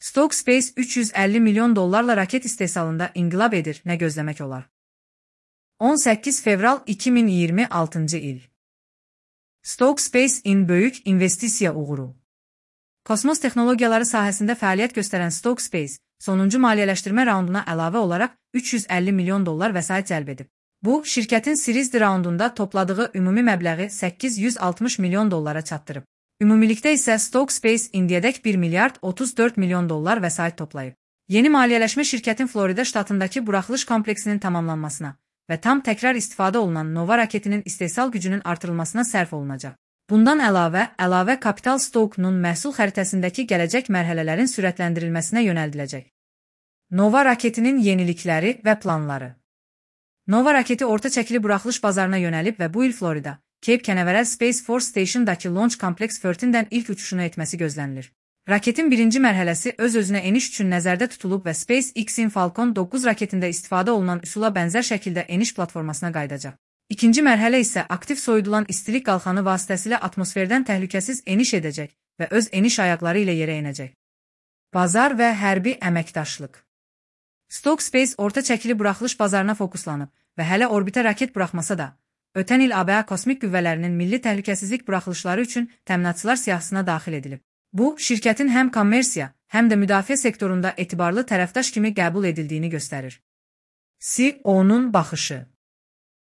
Stoke Space 350 milyon dollarla raket istehsalında inqilab edir, nə gözləmək olar? 18 fevral 2026 il. Stoke Space-in böyük investisiya uğuru. Kosmos texnologiyaları sahəsində fəaliyyət göstərən Stoke Space, sonuncu maliyyələşdirmə raunduna əlavə olaraq 350 milyon dollar vəsait cəlb edib. Bu, şirkətin Series D raundunda topladığı ümumi məbləği 860 milyon dollara çatdırıb. Ümumilikdə isə Stoke Space indiyədək 1 milyard 34 milyon dollar vəsait toplayıb. Yeni maliyyələşmə şirkətin Florida ştatındakı buraxılış kompleksinin tamamlanmasına və tam təkrar istifadə olunan Nova raketinin istehsal gücünün artırılmasına sərf olunacaq. Bundan əlavə kapital Stoke-nun məhsul xəritəsindəki gələcək mərhələlərin sürətləndirilməsinə yönəldiləcək. Nova raketinin yenilikləri və planları. Nova raketi orta çəkili buraxılış bazarına yönəlib və bu il Florida, Cape Canaveral Space Force Station-dakı Launch Complex 14-dən ilk uçuşunu etməsi gözlənilir. Raketin birinci mərhələsi öz-özünə eniş üçün nəzərdə tutulub və SpaceX-in Falcon 9 raketində istifadə olunan üsula bənzər şəkildə eniş platformasına qayıdacaq. İkinci mərhələ isə aktiv soyudulan istilik qalxanı vasitəsilə atmosferdən təhlükəsiz eniş edəcək və öz eniş ayaqları ilə yerə enəcək. Bazar və hərbi əməkdaşlıq. Stoke Space orta çəkili buraxılış bazarına fokuslanıb və hələ orbitə raket buraxmasa da, ötən il ABA kosmik qüvvələrinin milli təhlükəsizlik buraxılışları üçün təminatçılar siyahısına daxil edilib. Bu, şirkətin həm kommersiya, həm də müdafiə sektorunda etibarlı tərəfdaş kimi qəbul edildiyini göstərir. CEO-nun baxışı.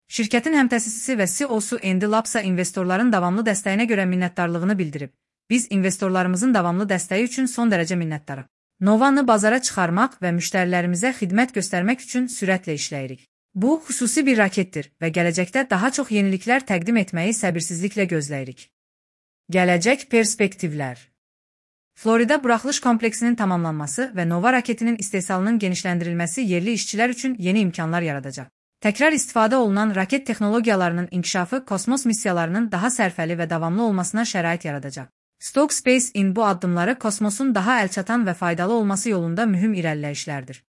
Şirkətin həmtəsisisi və CEO-su Andy Lapsa investorların davamlı dəstəyinə görə minnətdarlığını bildirib. Biz investorlarımızın davamlı dəstəyi üçün son dərəcə minnətdarıq. Novanı bazara çıxarmaq və müştərilərimizə xidmət göstərmək üçün sürətlə işləyirik. Bu, xüsusi bir raketdir və gələcəkdə daha çox yeniliklər təqdim etməyi səbirsizliklə gözləyirik. Gələcək perspektivlər. Florida buraxılış kompleksinin tamamlanması və Nova raketinin istehsalının genişləndirilməsi yerli işçilər üçün yeni imkanlar yaradacaq. Təkrar istifadə olunan raket texnologiyalarının inkişafı kosmos missiyalarının daha sərfəli və davamlı olmasına şərait yaradacaq. Stoke Space-in bu addımları kosmosun daha əlçatan və faydalı olması yolunda mühüm irəliləyişlərdir.